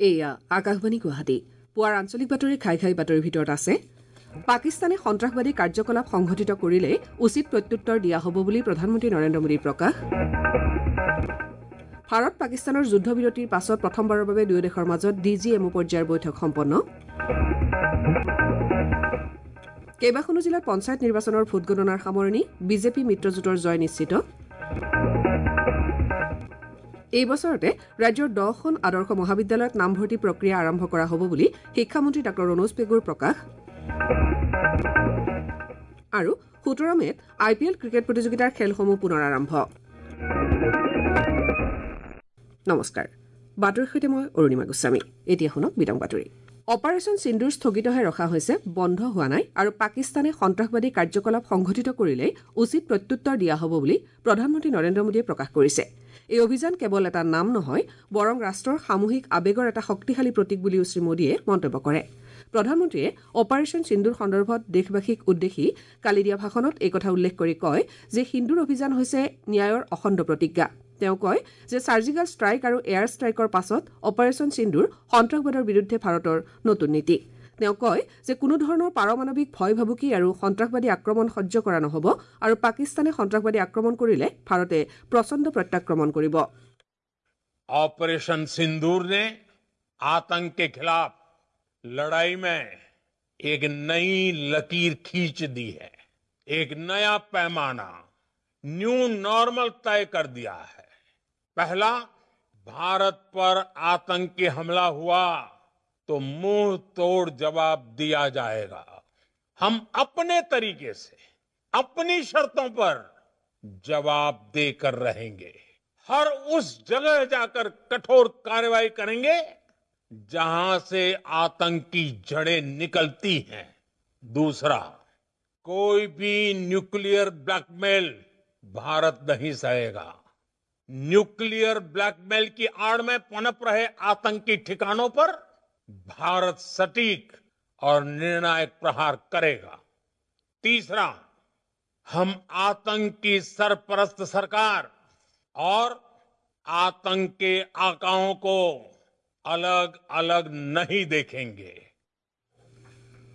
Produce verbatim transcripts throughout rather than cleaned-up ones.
এয়া আকাশবাণী গুৱাহাটী। পুৱাৰ আঞ্চলিক বাতৰি খাই খাই বাতৰিৰ ভিতৰত আছে পাকিস্তানে সন্ত্ৰাসবাদী কাৰ্যকলাপ সংঘটিত কৰিলে উচিত প্ৰত্যুত্তৰ দিয়া হ'ব বুলি প্ৰধানমন্ত্ৰী নৰেন্দ্ৰ মোদীৰ প্ৰকাশ। ভাৰত পাকিস্তানৰ যুদ্ধবিৰতিৰ পাছত প্ৰথমবাৰৰ বাবে দুয়ো দেশৰ মাজত ডি জি এম অ' পৰ্যায়ৰ বৈঠক সম্পন্ন। কেইবাখনো জিলাত পঞ্চায়ত নিৰ্বাচনৰ ভোটগণনাৰ সামৰণি, বিজেপি মিত্ৰজোঁটৰ জয় নিশ্চিত। এই বছৰতে ৰাজ্যৰ দহখন আদৰ্শ মহাবিদ্যালয়ত নামভৰ্তি প্ৰক্ৰিয়া আৰম্ভ কৰা হ'ব বুলি শিক্ষামন্ত্ৰী ডাঃ ৰণোজ পেগুৰ প্ৰকাশ। আৰু সোতৰ মে'ত আই পি এল ক্ৰিকেট প্ৰতিযোগিতাৰ খেলসমূহ পুনৰ আৰম্ভ। নমস্কাৰ, বাতৰিৰ সৈতে মই অৰুণিমা গোস্বামী। এতিয়া শুনক বিতং বাতৰি। অপাৰেচন সিন্দুৰ স্থগিতহে ৰখা হৈছে, বন্ধ হোৱা নাই আৰু পাকিস্তানে সন্ত্ৰাসবাদী কাৰ্যকলাপ সংঘটিত কৰিলে উচিত প্ৰত্যুত্তৰ দিয়া হ'ব বুলি প্ৰধানমন্ত্ৰী নৰেন্দ্ৰ মোদীয়ে প্ৰকাশ কৰিছে। এই অভিযান কেৱল এটা নাম নহয়, বৰং ৰাষ্ট্ৰৰ সামূহিক আৱেগৰ এটা শক্তিশালী প্ৰতীক বুলিও শ্ৰীমোদীয়ে মন্তব্য কৰে। প্ৰধানমন্ত্ৰীয়ে অপাৰেচন সিন্দুৰ সন্দৰ্ভত দেশবাসীক উদ্দেশ্যি কালি দিয়া ভাষণত এই কথা উল্লেখ কৰি কয় যে সিন্দুৰ অভিযান হৈছে ন্যায়ৰ অখণ্ড প্ৰতিজ্ঞা। তেওঁ কয় যে ছাৰ্জিকেল ষ্ট্ৰাইক আৰু এয়াৰ ষ্ট্ৰাইকৰ পাছত অপাৰেচন সিন্দুৰ সন্ত্ৰাসবাদৰ বিৰুদ্ধে ভাৰতৰ নতুন নীতি। তেওঁ কয় যে কোনো ধৰণৰ পাৰমাণৱিক ভয় ভাবুকি আৰু সন্ত্ৰাসবাদী আক্ৰমণ সহ্য কৰা নহ'ব আৰু পাকিস্তানে সন্ত্ৰাসবাদী আক্ৰমণ কৰিলে ভাৰতে প্ৰচণ্ড প্ৰত্যাক্ৰমণ কৰিব। ऑपरेशन सिंदूर ने आतंक के खिलाफ लड़ाई में एक नई लकीर खींच दी है, एक नया पैमाना, न्यू नॉर्मल तय कर दिया है। पहला, भारत पर आतंकी हमला हुआ तो मुंह तोड़ जवाब दिया जाएगा। हम अपने तरीके से, अपनी शर्तों पर जवाब देकर रहेंगे। हर उस जगह जाकर कठोर कार्रवाई करेंगे जहां से आतंक की जड़ें निकलती हैं। दूसरा, कोई भी न्यूक्लियर ब्लैकमेल भारत नहीं सहेगा। न्यूक्लियर ब्लैकमेल की आड़ में पनप रहे आतंकी ठिकानों पर भारत सटीक और निर्णायक प्रहार करेगा। तीसरा, हम आतंक की सरपरस्त सरकार और आतंक के आकाओं को अलग अलग नहीं देखेंगे।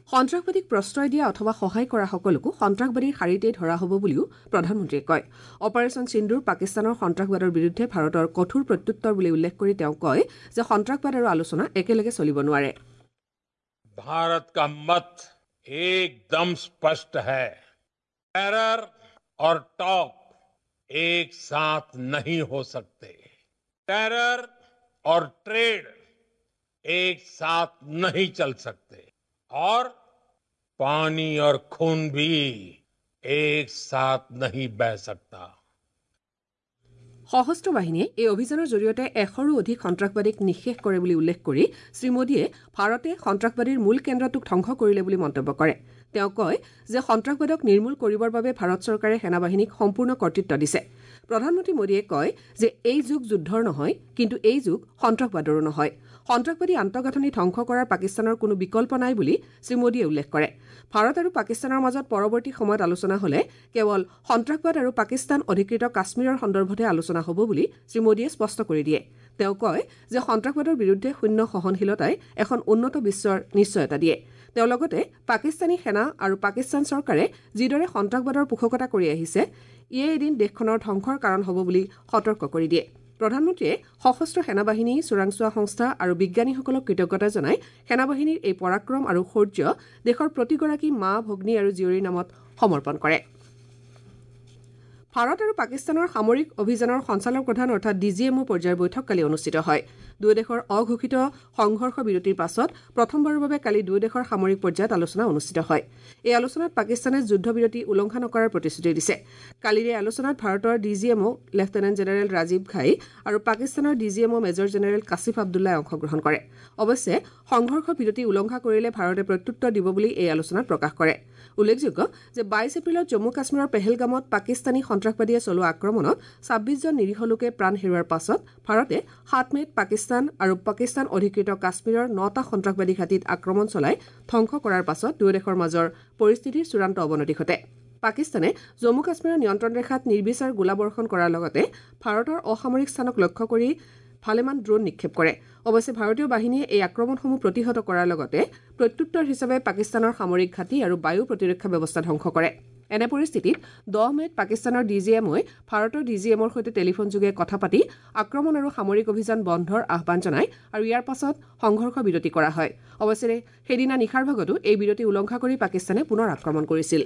সন্ত্ৰাসবাদীক প্ৰশ্ৰয় দিয়া অথবা সহায় কৰা সকলকো সন্ত্ৰাসবাদীৰ শাৰীতেই ধৰা হ'ব বুলিও প্ৰধানমন্ত্ৰীয়ে কয়। অপাৰেচন সিন্দুৰ পাকিস্তানৰ সন্ত্ৰাসবাদৰ বিৰুদ্ধে ভাৰতৰ কঠোৰ প্ৰত্যুত্তৰ বুলি উল্লেখ কৰি তেওঁ কয় যে সন্ত্ৰাসবাদ আৰু আলোচনা একেলগে চলিব নোৱাৰে। भारत का मत एकदम स्पष्ट है, टेरर और टॉक एक साथ नहीं हो सकते। टेरर और ट्रेड एक साथ नहीं चल सकते और पानी और खून भी एक साथ नहीं बह सकता। সশস্ত্ৰ বাহিনীয়ে এই অভিযানৰ জৰিয়তে এশৰো অধিক সন্ত্ৰাসবাদীক নিঃশেষ কৰে বুলি উল্লেখ কৰি শ্ৰীমোদীয়ে ভাৰতে সন্ত্ৰাসবাদীৰ মূল কেন্দ্ৰটোক ধ্বংস কৰিলে বুলি মন্তব্য কৰে। তেওঁ কয় যে সন্ত্ৰাসবাদক নিৰ্মূল কৰিবৰ বাবে ভাৰত চৰকাৰে সেনাবাহিনীক সম্পূৰ্ণ কৰ্তৃত্ব দিছে। প্ৰধানমন্ত্ৰী মোদীয়ে কয় যে এই যুগ যুদ্ধৰ নহয়, কিন্তু এই যুগ সন্ত্ৰাসবাদৰো নহয়। সন্ত্ৰাসবাদী আন্তঃগাঁথনি ধ্বংস কৰাৰ পাকিস্তানৰ কোনো বিকল্প নাই বুলি শ্ৰীমোদীয়ে উল্লেখ কৰে। ভাৰত আৰু পাকিস্তানৰ মাজত পৰৱৰ্তী সময়ত আলোচনা হ'লে কেৱল সন্ত্ৰাসবাদ আৰু পাকিস্তান অধিকৃত কাশ্মীৰৰ সন্দৰ্ভতহে আলোচনা হ'ব বুলি শ্ৰীমোদীয়ে স্পষ্ট কৰি দিয়ে। তেওঁ কয় যে সন্ত্ৰাসবাদৰ বিৰুদ্ধে শূন্য সহনশীলতাই এখন উন্নত বিশ্বৰ নিশ্চয়তা দিয়ে। তেওঁ লগতে পাকিস্তানী সেনা আৰু পাকিস্তান চৰকাৰে যিদৰে সন্ত্ৰাসবাদৰ পোষকতা কৰি আহিছে, ইয়ে এদিন দেশখনৰ ধ্বংসৰ কাৰণ হ'ব বুলি সতৰ্ক কৰি দিয়ে। প্ৰধানমন্ত্ৰীয়ে সশস্ত্ৰ সেনাবাহিনী, চোৰাংচোৱা সংস্থা আৰু বিজ্ঞানীসকলক কৃতজ্ঞতা জনাই সেনাবাহিনীৰ এই পৰাক্ৰম আৰু শৌৰ্য দেশৰ প্ৰতিগৰাকী মা, ভগ্নী আৰু জীয়ৰীৰ নামত সমৰ্পণ কৰে। ভাৰত আৰু পাকিস্তানৰ সামৰিক অভিযানৰ সঞ্চালক প্ৰধান অৰ্থাৎ ডি জি এম অ' পৰ্যায়ৰ বৈঠক কালি অনুষ্ঠিত হয়। দুয়ো দেশৰ অঘোষিত সংঘৰ্ষ বিৰতিৰ পাছত প্ৰথমবাৰৰ বাবে কালি দুয়ো দেশৰ সামৰিক পৰ্যায়ত আলোচনা অনুষ্ঠিত হয়। এই আলোচনাত পাকিস্তানে যুদ্ধবিৰতি উলংঘা নকৰাৰ প্ৰতিশ্ৰুতি দিছে। কালিৰ এই আলোচনাত ভাৰতৰ D G M O lieutenant general Rajiv Ghai আৰু পাকিস্তানৰ D G M O major general Kashif আব্দুল্লাই অংশগ্ৰহণ কৰে। অৱশ্যে সংঘৰ্ষ বিৰতি উলংঘা কৰিলে ভাৰতে প্ৰত্যুত্তৰ দিব বুলি এই আলোচনাত প্ৰকাশ কৰে। উল্লেখযোগ্য যে বাইছ এপ্ৰিলত জম্মু কাশ্মীৰৰ পেহেলগামত পাকিস্তানী সন্ত্ৰাসবাদীয়ে চলোৱা আক্ৰমণত ছাব্বিছজন নিৰীহ লোকে প্ৰাণ হেৰুওৱাৰ পাছত ভাৰতে সাত মে'ত পাকিস্তান আৰু পাকিস্তান অধিকৃত কাশ্মীৰৰ নটা সন্ত্ৰাসবাদী ঘাটিত আক্ৰমণ চলাই ধ্বংস কৰাৰ পাছত দুয়ো দেশৰ মাজৰ পৰিস্থিতিৰ চূড়ান্ত অৱনতি ঘটে। পাকিস্তানে জম্মু কাশ্মীৰৰ নিয়ন্ত্ৰণ ৰেখাত নিৰ্বিচাৰ গোলাবৰ্ষণ কৰাৰ লগতে ভাৰতৰ অসামৰিক স্থানক লক্ষ্য কৰি ভালেমান ড্ৰোন নিক্ষেপ কৰে। অৱশ্যে ভাৰতীয় বাহিনীয়ে এই আক্ৰমণসমূহ প্ৰতিহত কৰাৰ লগতে প্ৰত্যুত্তৰ হিচাপে পাকিস্তানৰ সামৰিক ঘাটি আৰু বায়ু প্ৰতিৰক্ষা ব্যৱস্থা ধ্বংস কৰে। এনে পৰিস্থিতিত দহ মে'ত পাকিস্তানৰ ডি জি এমই ভাৰতৰ ডি জি এমৰ সৈতে টেলিফোনযোগে কথা পাতি আক্ৰমণ আৰু সামৰিক অভিযান বন্ধৰ আহ্বান জনায় আৰু ইয়াৰ পাছত সংঘৰ্ষ বিৰতি কৰা হয়। অৱশ্যে সেইদিনা নিশাৰ ভাগতো এই বিৰতি উলংঘা কৰি পাকিস্তানে পুনৰ আক্ৰমণ কৰিছিল।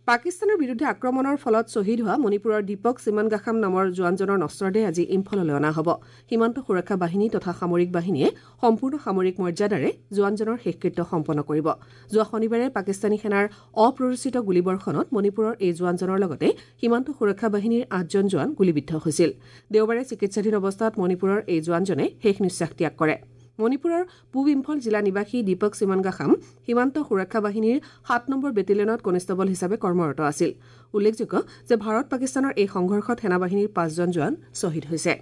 পাকিস্তানৰ বিৰুদ্ধে আক্ৰমণৰ ফলত শ্বহীদ হোৱা মণিপুৰৰ দীপক চিমানগাখাম নামৰ জোৱানজনৰ নশ্বৰদেহ আজি ইম্ফললৈ অনা হ'ব। সীমান্ত সুৰক্ষা বাহিনী তথা সামৰিক বাহিনীয়ে সম্পূৰ্ণ সামৰিক মৰ্যাদাৰে জোৱানজনৰ শেষকৃত্য সম্পন্ন কৰিব। যোৱা শনিবাৰে পাকিস্তানী সেনাৰ অপ্ৰৰোচিত গুলীবৰ্ষণত মণিপুৰৰ এই জোৱানজনৰ লগতে সীমান্ত সুৰক্ষা বাহিনীৰ আঠজন জোৱান গুলীবিদ্ধ হৈছিল। দেওবাৰে চিকিৎসাধীন অৱস্থাত মণিপুৰৰ এই জোৱানজনে শেষ নিশ্বাস ত্যাগ কৰে। মণিপুৰৰ পূব ইম্ফল জিলা নিবাসী দীপক চিমানগাখাম সীমান্ত সুৰক্ষা বাহিনীৰ সাত নম্বৰ বেটেলিয়নত কনিষ্টবল হিচাপে কৰ্মৰত আছিল। উল্লেখযোগ্য যে ভাৰত পাকিস্তানৰ এই সংঘৰ্ষত সেনাবাহিনীৰ পাঁচজন জোৱান শ্বহীদ হৈছে।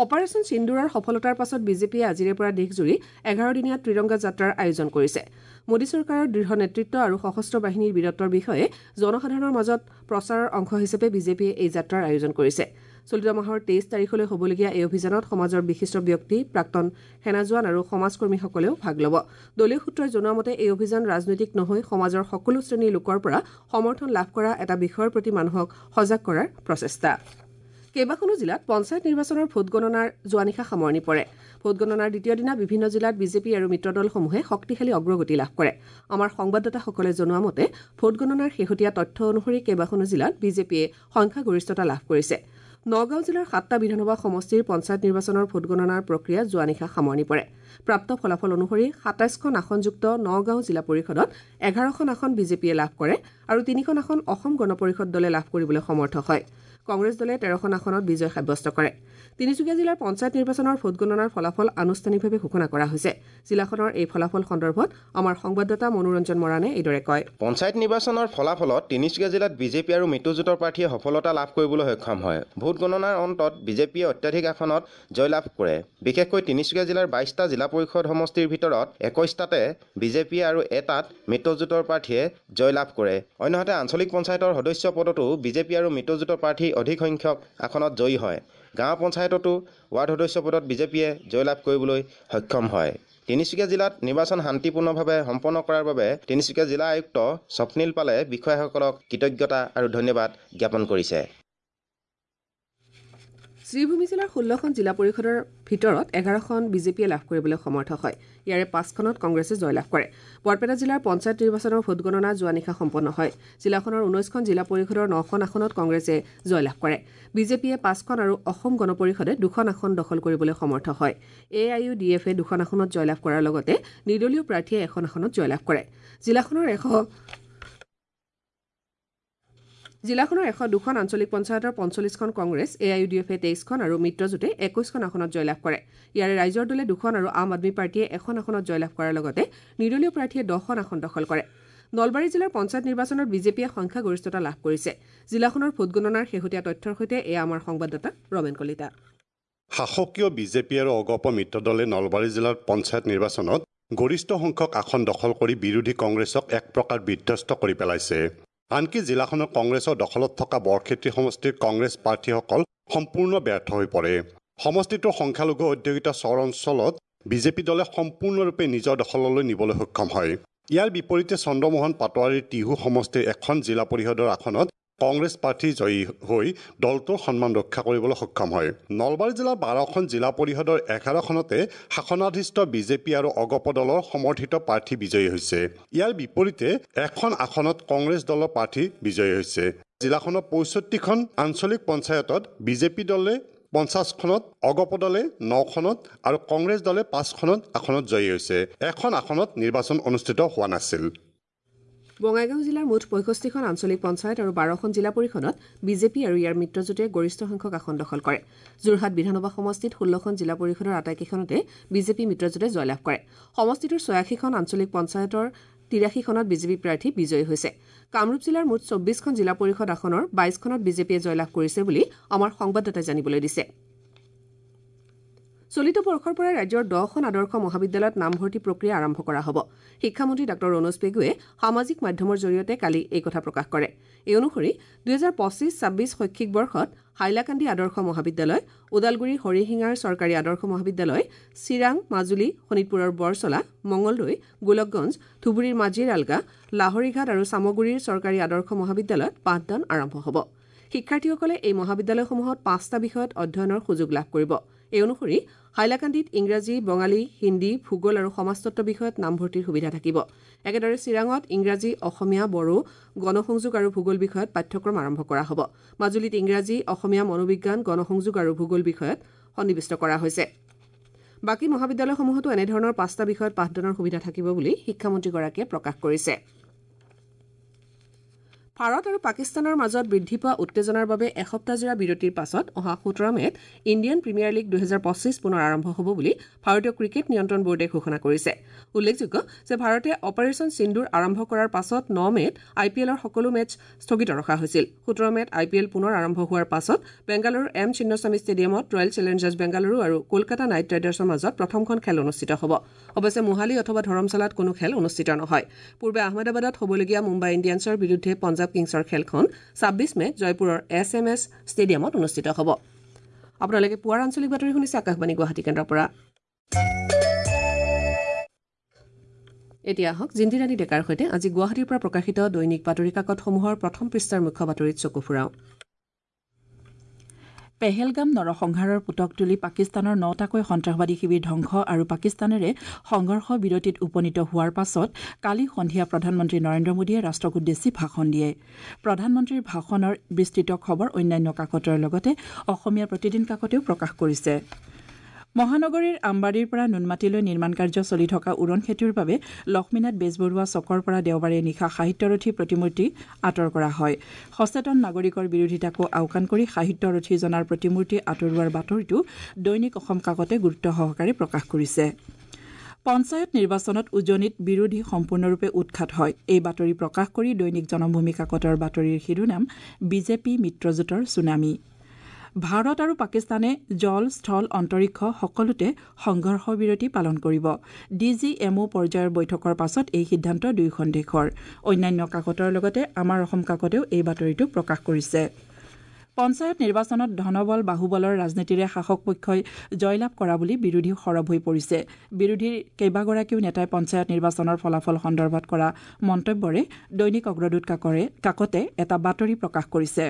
অপাৰেচন সিন্দুৰৰ সফলতাৰ পাছত বিজেপিয়ে আজিৰে পৰা দেশজুৰি এঘাৰ দিনীয়া ত্ৰিৰংগা যাত্ৰাৰ আয়োজন কৰিছে। মোদী চৰকাৰৰ দৃঢ় নেতৃত্ব আৰু সশস্ত্ৰ বাহিনীৰ বীৰত্বৰ বিষয়ে জনসাধাৰণৰ মাজত প্ৰচাৰৰ অংশ হিচাপে বিজেপিয়ে এই যাত্ৰাৰ আয়োজন কৰিছে। চলিত মাহৰ তেইছ তাৰিখলৈ হ'বলগীয়া এই অভিযানত সমাজৰ বিশিষ্ট ব্যক্তি, প্ৰাক্তন সেনা জোৱান আৰু সমাজকৰ্মীসকলেও ভাগ ল'ব। দলীয় সূত্ৰই জনোৱা মতে এই অভিযান ৰাজনৈতিক নহৈ সমাজৰ সকলো শ্ৰেণীৰ লোকৰ পৰা সমৰ্থন লাভ কৰা এটা বিষয়ৰ প্ৰতি মানুহক সজাগ কৰাৰ প্ৰচেষ্টা। কেইবাখনো জিলাত পঞ্চায়ত নিৰ্বাচনৰ ভোটগণনাৰ যোৱা নিশা সামৰণি পৰে। ভোটগণনাৰ দ্বিতীয় দিনা বিভিন্ন জিলাত বিজেপি আৰু মিত্ৰদলসমূহে শক্তিশালী অগ্ৰগতি লাভ কৰে। আমাৰ সংবাদদাতাসকলে জনোৱা মতে ভোটগণনাৰ শেহতীয়া তথ্য অনুসৰি কেইবাখনো জিলাত বিজেপিয়ে সংখ্যাগৰিষ্ঠতা লাভ কৰিছে। নগাঁও জিলাৰ সাতটা বিধানসভা সমষ্টিৰ পঞ্চায়ত নিৰ্বাচনৰ ভোটগণনাৰ প্ৰক্ৰিয়া যোৱা নিশা সামৰণি পৰে। প্ৰাপ্ত ফলাফল অনুসৰি সাতাইছখন আসনযুক্ত নগাঁও জিলা পৰিষদত এঘাৰখন আসন বিজেপিয়ে লাভ কৰে আৰু তিনিখন আসন অসম গণ পৰিষদ দলে লাভ কৰিবলৈ সমৰ্থ হয়। কংগ্ৰেছ দলে তেৰখন আসনত বিজয় সাব্যস্ত কৰে। তিনিচুকীয়া জিলাৰ পঞ্চায়ত নিৰ্বাচনৰ ভোটগণনাৰ ফলাফল আনুষ্ঠানিকভাৱে ঘোষণা কৰা হৈছে। জিলাখনৰ এই ফলাফল সন্দৰ্ভত আমাৰ সংবাদদাতা মনোৰঞ্জন মৰাণে এইদৰে কয়। পঞ্চায়ত নিৰ্বাচনৰ ফলাফলত তিনিচুকীয়া জিলাত বিজেপি আৰু মিত্ৰজোঁটৰ প্ৰাৰ্থীয়ে সফলতা লাভ কৰিবলৈ সক্ষম হয়। ভোটগণনাৰ অন্তত বিজেপিয়ে অত্যাধিক আসনত জয়লাভ কৰে। বিশেষকৈ তিনিচুকীয়া জিলাৰ বাইছটা জিলা পৰিষদ সমষ্টিৰ ভিতৰত একৈছটাতে বিজেপিয়ে আৰু এটাত মিত্ৰজোঁটৰ প্ৰাৰ্থীয়ে জয়লাভ কৰে। অন্যহাতে আঞ্চলিক পঞ্চায়তৰ সদস্য পদতো বিজেপি আৰু মিত্ৰজোঁটৰ প্ৰাৰ্থী অধিক সংখ্যক আসনত জয়ী হয়। গাঁও পঞ্চায়ততো ৱাৰ্ড সদস্য পদত বিজেপিয়ে জয়লাভ কৰিবলৈ সক্ষম হয়। তিনিচুকীয়া জিলাত নিৰ্বাচন শান্তিপূৰ্ণভাৱে সম্পন্ন কৰাৰ বাবে তিনিচুকীয়া জিলা আয়ুক্ত স্বপ্নীল পালে বিষয়াসকলক কৃতজ্ঞতা আৰু ধন্যবাদ জ্ঞাপন কৰিছে। শ্ৰীভূমি জিলাৰ ষোল্লখন জিলা পৰিষদৰ ভিতৰত এঘাৰখন বিজেপিয়ে লাভ কৰিবলৈ সমৰ্থ হয়। ইয়াৰে পাঁচখনত কংগ্ৰেছে জয়লাভ কৰে। বৰপেটা জিলাৰ পঞ্চায়ত নিৰ্বাচনৰ ভোটগণনা যোৱা নিশা সম্পন্ন হয়। জিলাখনৰ ঊনৈছখন জিলা পৰিষদৰ নখন আসনত কংগ্ৰেছে জয়লাভ কৰে। বিজেপিয়ে পাঁচখন আৰু অসম গণ পৰিষদে দুখন আসন দখল কৰিবলৈ সমৰ্থ হয়। এ I U D এফে দুখন আসনত জয়লাভ কৰাৰ লগতে নিৰ্দলীয় প্ৰাৰ্থীয়ে এখন আসনত জয়লাভ কৰে। জিলাখনৰ এশ জিলাখনৰ এশ দুখন আঞ্চলিক পঞ্চায়তৰ পঞ্চল্লিছখন কংগ্ৰেছ, এ I U D এফে তেইছখন আৰু মিত্ৰজোঁটে একৈছখন আসনত জয়লাভ কৰে। ইয়াৰে ৰাইজৰ দলে দুখন আৰু আম আদমী পাৰ্টীয়ে এখন আসনত জয়লাভ কৰাৰ লগতে নিৰ্দলীয় প্ৰাৰ্থীয়ে দহখন আসন দখল কৰে। নলবাৰী জিলাৰ পঞ্চায়ত নিৰ্বাচনত বিজেপিয়ে সংখ্যাগৰিষ্ঠতা লাভ কৰিছে। জিলাখনৰ ভোটগণনাৰ শেহতীয়া তথ্যৰ সৈতে এয়া আমাৰ সংবাদদাতা ৰমেন কলিতা। শাসকীয় বিজেপি আৰু অগপ মিত্ৰদলে নলবাৰী জিলাৰ পঞ্চায়ত নিৰ্বাচনত গৰিষ্ঠ সংখ্যক আসন দখল কৰি বিৰোধী কংগ্ৰেছক এক প্ৰকাৰ বিধ্বস্ত কৰি পেলাইছে। আনকি জিলাখনৰ কংগ্ৰেছৰ দখলত থকা বৰক্ষেত্ৰী সমষ্টিৰ কংগ্ৰেছ প্ৰাৰ্থীসকল সম্পূৰ্ণ ব্যৰ্থ হৈ পৰে। সমষ্টিটোৰ সংখ্যালঘু অধ্যুষিত চৰ অঞ্চলত বিজেপি দলে সম্পূৰ্ণৰূপে নিজৰ দখললৈ নিবলৈ সক্ষম হয়। ইয়াৰ বিপৰীতে চন্দ্ৰমোহন পাটোৱাৰীৰ টিহু সমষ্টিৰ এখন জিলা পৰিষদৰ আসনত কংগ্ৰেছ প্ৰাৰ্থী জয়ী হৈ দলটোৰ সন্মান ৰক্ষা কৰিবলৈ সক্ষম হয়। নলবাৰী জিলাৰ বাৰখন জিলা পৰিষদৰ এঘাৰখনতে শাসনাধিষ্ঠ বিজেপি আৰু অগপ দলৰ সমৰ্থিত প্ৰাৰ্থী বিজয়ী হৈছে। ইয়াৰ বিপৰীতে এখন আসনত কংগ্ৰেছ দলৰ প্ৰাৰ্থী বিজয়ী হৈছে। জিলাখনৰ পঁয়ষষ্ঠিখন আঞ্চলিক পঞ্চায়তত বিজেপি দলে পঞ্চাছখনত, অগপ দলে নখনত আৰু কংগ্ৰেছ দলে পাঁচখনত আসনত জয়ী হৈছে। এখন আসনত নিৰ্বাচন অনুষ্ঠিত হোৱা নাছিল। বঙাইগাঁও জিলাৰ মুঠ পঁয়ষষ্ঠিখন আঞ্চলিক পঞ্চায়ত আৰু বাৰখন জিলা পৰিষদত বিজেপি আৰু ইয়াৰ মিত্ৰজোঁটে গৰিষ্ঠ সংখ্যক আসন দখল কৰে। যোৰহাট বিধানসভা সমষ্টিত ষোল্লখন জিলা পৰিষদৰ আটাইকেইখনতে বিজেপি মিত্ৰজোঁটে জয়লাভ কৰে। সমষ্টিটোৰ ছয়াশীখন আঞ্চলিক পঞ্চায়তৰ তিৰাশীখনত বিজেপি প্ৰাৰ্থী বিজয়ী হৈছে। কামৰূপ জিলাৰ মুঠ চৌব্বিছখন জিলা পৰিষদ আসনৰ বাইছখনত বিজেপিয়ে জয়লাভ কৰিছে বুলি আমাৰ সংবাদদাতাই জানিবলৈ দিছে। চলিত বৰ্ষৰ পৰা ৰাজ্যৰ দহখন আদৰ্শ মহাবিদ্যালয়ত নামভৰ্তি প্ৰক্ৰিয়া আৰম্ভ কৰা হ'ব। শিক্ষামন্ত্ৰী ডাঃ ৰণোজ পেগুৱে সামাজিক মাধ্যমৰ জৰিয়তে কালি এই কথা প্ৰকাশ কৰে। এই অনুসৰি দুহেজাৰ পঁচিছ ছাব্বিছ শৈক্ষিক বৰ্ষত হাইলাকান্দি আদৰ্শ মহাবিদ্যালয়, ওদালগুৰি হৰিশিঙাৰ চৰকাৰী আদৰ্শ মহাবিদ্যালয়, চিৰাং, মাজুলী, শোণিতপুৰৰ বৰচলা, মঙলদৈ, গোলকগঞ্জ, ধুবুৰীৰ মাজিৰ আলগা, লাহৰীঘাট আৰু চামগুৰিৰ চৰকাৰী আদৰ্শ মহাবিদ্যালয়ত পাঠদান আৰম্ভ হ'ব। শিক্ষাৰ্থীসকলে এই মহাবিদ্যালয়সমূহত পাঁচটা বিষয়ত অধ্যয়নৰ সুযোগ লাভ কৰিব। এই অনুসৰি হাইলাকান্দিত ইংৰাজী, বঙালী, হিন্দী, ভূগোল আৰু সমাজতত্ব বিষয়ত নামভৰ্তিৰ সুবিধা থাকিব। একেদৰে চিৰাঙত ইংৰাজী, অসমীয়া, বড়ো, গণসংযোগ আৰু ভূগোল বিষয়ত পাঠ্যক্ৰম আৰম্ভ কৰা হ'ব। মাজুলীত ইংৰাজী, অসমীয়া, মনোবিজ্ঞান, গণসংযোগ আৰু ভূগোল বিষয়ত সন্নিৱিষ্ট কৰা হৈছে। বাকী মহাবিদ্যালয়সমূহতো এনেধৰণৰ পাঁচটা বিষয়ত পাঠদানৰ সুবিধা থাকিব বুলি শিক্ষামন্ত্ৰীগৰাকীয়ে প্ৰকাশ কৰিছে। ভাৰত আৰু পাকিস্তানৰ মাজত বৃদ্ধি পোৱা উত্তেজনাৰ বাবে এসপ্তাহজোৰা বিৰতিৰ পাছত অহা সোতৰ মে'ত ইণ্ডিয়ান প্ৰিমিয়াৰ লীগ দুহেজাৰ পঁচিছ পুনৰ আৰম্ভ হ'ব বুলি ভাৰতীয় ক্ৰিকেট নিয়ন্ত্ৰণ বোৰ্ডে ঘোষণা কৰিছে। উল্লেখযোগ্য যে ভাৰতে অপাৰেচন সিন্দুৰ আৰম্ভ কৰাৰ পাছত ন মে'ত আই পি এলৰ সকলো মেচ স্থগিত ৰখা হৈছিল। সোতৰ মে'ত আই পি এল পুনৰ আৰম্ভ হোৱাৰ পাছত বেংগালুৰুৰ এম চিন্নস্বামী ষ্টেডিয়ামত ৰয়েল চেলেঞ্জাৰ্ছ বেংগালুৰু আৰু কলকাতা নাইট ৰাইডাৰ্ছৰ মাজত প্ৰথমখন খেল অনুষ্ঠিত হ'ব। অৱশ্যে মোহালি অথবা ধৰমশালাত কোনো খেল অনুষ্ঠিত নহয়। পূৰ্বে আহমেদাবাদত হ'বলগীয়া মুম্বাই ইণ্ডিয়ানছৰ বিৰুদ্ধে পঞ্জাৱ কিংছৰ খেলখন ছাব্বিছ মে'ত জয়পুৰৰ এছ এম এছ ষ্টেডিয়ামত অনুষ্ঠিত হ'ব। আপোনালোকে পুৱাৰ আঞ্চলিক বাতৰি শুনিছে আকাশবাণী গুৱাহাটী কেন্দ্ৰৰ পৰা। এতিয়া আহক জিন্তিৰাণী ডেকাৰ সৈতে আজি গুৱাহাটীৰ পৰা প্ৰকাশিত দৈনিক বাতৰি কাকতসমূহৰ প্ৰথম পৃষ্ঠাৰ মুখ্য বাতৰিত চকু ফুৰাওঁ। পেহেলগাম নৰসংহাৰৰ পোটক তুলি পাকিস্তানৰ নটাকৈ সন্ত্ৰাসবাদী শিবিৰ ধ্বংস আৰু পাকিস্তানেৰে সংঘৰ্ষ বিৰতিত উপনীত হোৱাৰ পাছত কালি সন্ধিয়া প্ৰধানমন্ত্ৰী নৰেন্দ্ৰ মোদীয়ে ৰাষ্ট্ৰক উদ্দেশ্যি ভাষণ দিয়ে। প্ৰধানমন্ত্ৰীৰ ভাষণৰ বিস্তৃত খবৰ অন্যান্য কাকতৰ লগতে অসমীয়া প্ৰতিদিন কাকতেও প্ৰকাশ কৰিছে। মহানগৰীৰ আমবাৰীৰ পৰা নুনমাটিলৈ নিৰ্মাণ কাৰ্য চলি থকা উৰণ সেতুৰ বাবে লক্ষ্মীনাথ বেজবৰুৱা চকৰ পৰা দেওবাৰে নিশা সাহিত্যৰথী প্ৰতিমূৰ্তি আঁতৰ কৰা হয়। সচেতন নাগৰিকৰ বিৰোধিতাকো আওকাণ কৰি সাহিত্যৰথীজনাৰ প্ৰতিমূৰ্তি আঁতৰোৱাৰ বাতৰিটো দৈনিক অসম কাকতে গুৰুত্ব সহকাৰে প্ৰকাশ কৰিছে। পঞ্চায়ত নিৰ্বাচনত উজনিত বিৰোধী সম্পূৰ্ণৰূপে উৎখাত হয়। এই বাতৰি প্ৰকাশ কৰি দৈনিক জনমভূমি কাকতৰ বাতৰিৰ শিৰোনাম বিজেপি মিত্ৰজোঁটৰ ছুনামি। ভাৰত আৰু পাকিস্তানে জল, স্থল, অন্তৰীক্ষ সকলোতে সংঘৰ্ষ বিৰতি পালন কৰিব। ডি জি এম অ' পৰ্যায়ৰ বৈঠকৰ পাছত এই সিদ্ধান্ত দুয়োখন দেশৰ। অন্যান্য কাকতৰ লগতে আমাৰ অসম কাকতেও এই বাতৰিটো প্ৰকাশ কৰিছে। পঞ্চায়ত নিৰ্বাচনত ধনবল বাহুবলৰ ৰাজনীতিৰে শাসক পক্ষই জয়লাভ কৰা বুলি বিৰোধী সৰব হৈ পৰিছে। বিৰোধীৰ কেইবাগৰাকীও নেতাই পঞ্চায়ত নিৰ্বাচনৰ ফলাফল সন্দৰ্ভত কৰা মন্তব্যৰে দৈনিক অগ্ৰদূত কাকৰে কাকতে এটা বাতৰি প্ৰকাশ কৰিছে।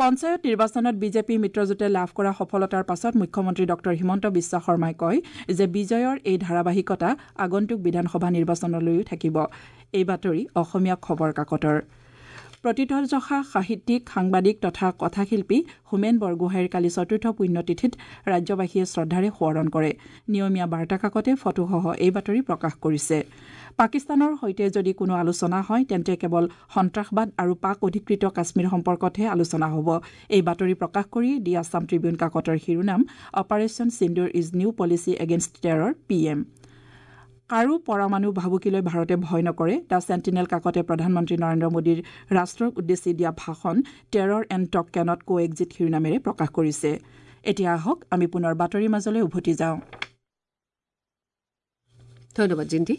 পঞ্চায়ত নিৰ্বাচনত বিজেপি মিত্ৰজোঁটে লাভ কৰা সফলতাৰ পাছত মুখ্যমন্ত্ৰী ডঃ হিমন্ত বিশ্ব শৰ্মাই কয় যে বিজয়ৰ এই ধাৰাবাহিকতা আগন্তুক বিধানসভা নিৰ্বাচনলৈও থাকিব। এই বাতৰি অসমীয়া খবৰ কাকতৰ। প্ৰতিথযশা সাহিত্যিক, সাংবাদিক তথা কথাশিল্পী হোমেন বৰগোহাঁইৰ কালি চতুৰ্থ পুণ্যতিথিত ৰাজ্যবাসীয়ে শ্ৰদ্ধাৰে সোঁৱৰণ কৰে। নিয়মীয়া বাৰ্তা কাকতে ফটোসহ এই বাতৰি প্ৰকাশ কৰিছে। পাকিস্তানৰ সৈতে যদি কোনো আলোচনা হয় তেন্তে কেৱল সন্ত্ৰাসবাদ আৰু পাক অধিকৃত কাশ্মীৰ সম্পৰ্কতহে আলোচনা হ'ব। এই বাতৰি প্ৰকাশ কৰি দি আছাম ট্ৰিবিউন কাকতৰ শিৰোনাম operation Sindoor is new policy against terror P M. কাৰো পৰমাণু ভাবুকিলৈ ভাৰতে ভয় নকৰে। The sentinel কাকতে প্ৰধানমন্ত্ৰী নৰেন্দ্ৰ মোদীৰ ৰাষ্ট্ৰক উদ্দেশ্যি দিয়া ভাষণ terror and talk cannot co exist শিৰোনামেৰে প্ৰকাশ কৰিছে। এতিয়া আহক আমি পুনৰ বাতৰিৰ মাজলৈ উভতি যাওঁ। ধন্যবাদ জিন্তি।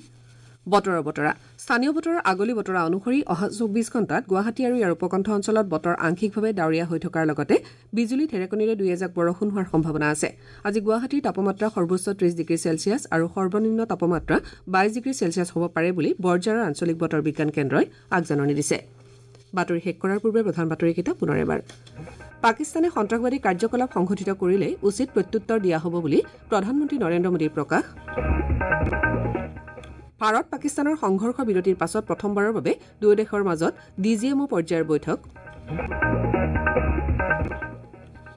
বতৰৰ বতৰা। স্থানীয় বতৰৰ আগলি বতৰা অনুসৰি অহা চৌব্বিছ ঘণ্টাত গুৱাহাটী আৰু ইয়াৰ উপকণ্ঠ অঞ্চলত বতৰ আংশিকভাৱে ডাৱৰীয়া হৈ থকাৰ লগতে বিজুলী ঢেৰেকনিৰে দুই এজাক বৰষুণ হোৱাৰ সম্ভাৱনা আছে। আজি গুৱাহাটীৰ তাপমাত্ৰা সৰ্বোচ্চ ত্ৰিশ ডিগ্ৰী চেলছিয়াছ আৰু সৰ্বনিম্ন তাপমাত্ৰা বাইছ ডিগ্ৰী চেলছিয়াছ হ'ব পাৰে বুলি বৰঝাৰৰ আঞ্চলিক বতৰ বিজ্ঞান কেন্দ্ৰই আগজাননী দিছে। বাতৰি শেষ কৰাৰ পূৰ্বে প্ৰধান বাতৰিকেইটা পুনৰ এবাৰ। পাকিস্তানে সন্ত্ৰাসবাদী কাৰ্যকলাপ সংঘটিত কৰিলেই উচিত প্ৰত্যুত্তৰ দিয়া হ'ব বুলি প্ৰধানমন্ত্ৰী নৰেন্দ্ৰ মোদীৰ প্ৰকাশ। ভাৰত পাকিস্তানৰ সংঘৰ্ষ বিৰতিৰ পাছত প্ৰথমবাৰৰ বাবে দুয়ো দেশৰ মাজত ডি জি এম অ' পৰ্যায়ৰ বৈঠক।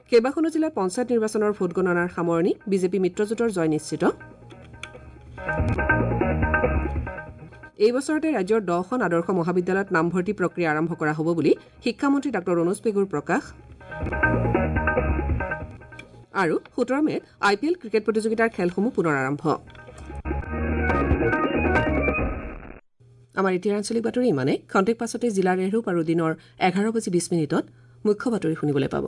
কেইবাখনো জিলাত পঞ্চায়ত নিৰ্বাচনৰ ভোটগণনাৰ সামৰণি, বিজেপি মিত্ৰজোঁটৰ জয় নিশ্চিত। এই বছৰতে ৰাজ্যৰ দহখন আদৰ্শ মহাবিদ্যালয়ত নামভৰ্তি প্ৰক্ৰিয়া আৰম্ভ কৰা হ'ব বুলি শিক্ষামন্ত্ৰী ডাঃ ৰণোজ পেগুৰ প্ৰকাশ। আৰু সোতৰ মে'ত আই পি এল ক্ৰিকেট প্ৰতিযোগিতাৰ খেলসমূহ পুনৰ আৰম্ভ। আমাৰ এতিয়াৰ আঞ্চলিক বাতৰি ইমানে। খন্তেক পাছতে জিলাৰ এৰূপ আৰু দিনৰ এঘাৰ বাজি বিশ মিনিটত মুখ্য বাতৰি শুনিবলৈ পাব।